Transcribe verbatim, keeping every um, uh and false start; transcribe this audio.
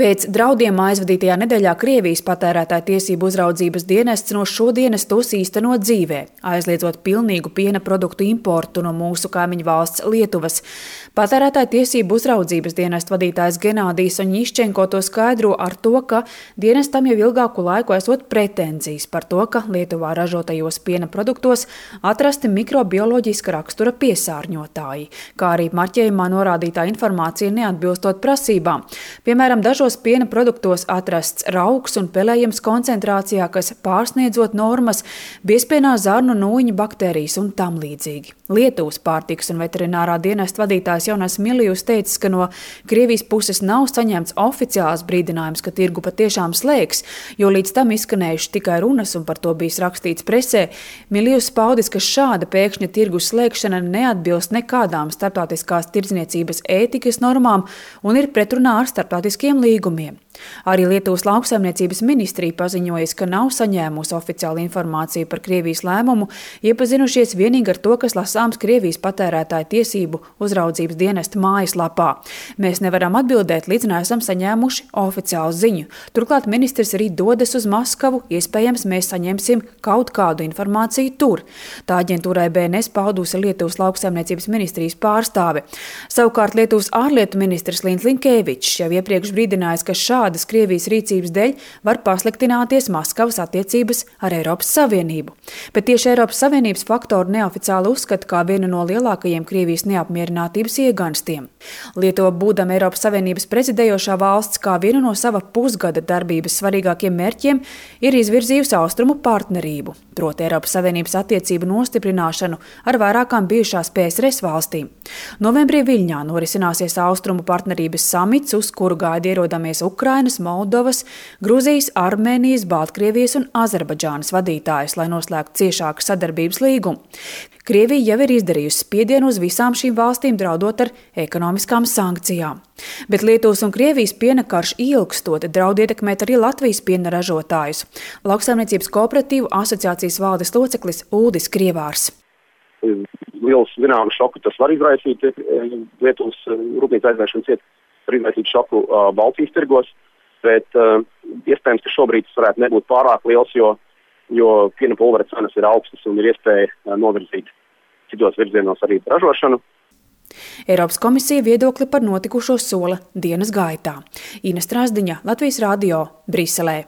Pēc draudiem aizvadītajā nedēļā Krievijas patērētāju tiesību uzraudzības dienests no šodienas tos īsteno dzīvē, aizliedzot pilnīgu piena produktu importu no mūsu kaimiņu valsts Lietuvas. Patērētāju tiesību uzraudzības dienesta vadītājs Genādijs Oņiščenko to skaidro ar to, ka dienestam jau ilgāku laiku esot pretenzijas par to, ka Lietuvā ražotajos piena produktos atrasti mikrobioloģiska rakstura piesārņotāji, kā arī marķējumā norādītā informācija neatbilstot prasībām. Piemēram, dažos piena produktos atrasts rauks un pelējums koncentrācijā, kas pārsniedzot normas, biezpienā zarnu nūjiņu baktērijas un tam līdzīgi. Lietuvas pārtikas un veterinārā dienesta vadītājs Jonas Milijus teica, ka no Krievijas puses nav saņemts oficiāls brīdinājums, ka tirgu patiešām slēgs, jo līdz tam izskanējuši tikai runas un par to bijis rakstīts presē. Milijus paudis, ka šāda pēkšņa tirgus slēgšana neatbilst nekādām starptautiskās tirdzniecības ētikas normām un ir pretrunā ar starptautiskiem līgumiem. Arī Lietuvas lauksaimniecības ministrija paziņojas, ka nav saņēmusi oficiālu informāciju par Krievijas lēmumu, iepazinušies vienīgi ar to, kas lasāms Krievijas patērētāju tiesību uzraudzības dienesta mājaslapā. Mēs nevaram atbildēt, līdz neesam saņēmuši oficiālu ziņu. Turklāt ministrs arī dodas uz Maskavu, iespējams, mēs saņemsim kaut kādu informāciju tur. Tā aģentūrai B N S paudusi Lietuvas lauksaimniecības ministrijas pārstāve. Savukārt Lietuvas ārlietu ministrs Līns Linkevičs jau iepriekš brīdinājis, ka šādas Krievijas rīcības dēļ var pasliktināties Maskavas attiecības ar Eiropas Savienību. Bet tieši Eiropas Savienības faktoru neoficiāli uzskata kā vienu no lielākajiem Krievijas neapmierinātības ieganstiem. Lietuva, būdama Eiropas Savienības prezidējošā valsts, kā vienu no sava pusgada darbības svarīgākiem mērķiem, ir izvirzījusi austrumu partnerību, proti Eiropas Savienības attiecību nostiprināšanu ar vairākām bijušās P S R S valstīm. Novembrī Viļņā norisināsies austrumu partnerības samits, uz kuru gaida ierodamies Ukrainas, Moldovas, Gruzijas, Armēnijas, Baltkrievijas un Azerbaidžānas vadītājus, lai noslēgtu ciešāku sadarbības līgumu. Krievija jau ir izdarījusi spiedienu uz visām šīm valstīm, draudot ar ekonomiskām sankcijām. Bet Lietuvas un Krievijas piena karš ilgstot draud ietekmēt arī Latvijas piena ražotājus. Lauksaimniecības kooperatīvu asociācijas valdes loceklis Uldis Krievārs. Liels zināmu šoku tas var izraisīt Lietuvas rūpnīca aizvēršanas iet. Var izraisīt šoku uh, Baltijas tirgos, bet uh, iespējams, ka šobrīd tas varētu nebūt pārāk liels, jo, jo piena pulvera cenas ir augstas un ir iespēja uh, novirzīt citos virzienos arī ražošanu. Eiropas komisija viedokli par notikušo sola dienas gaitā. Ina Strasdiņa, Latvijas radio, Briselē.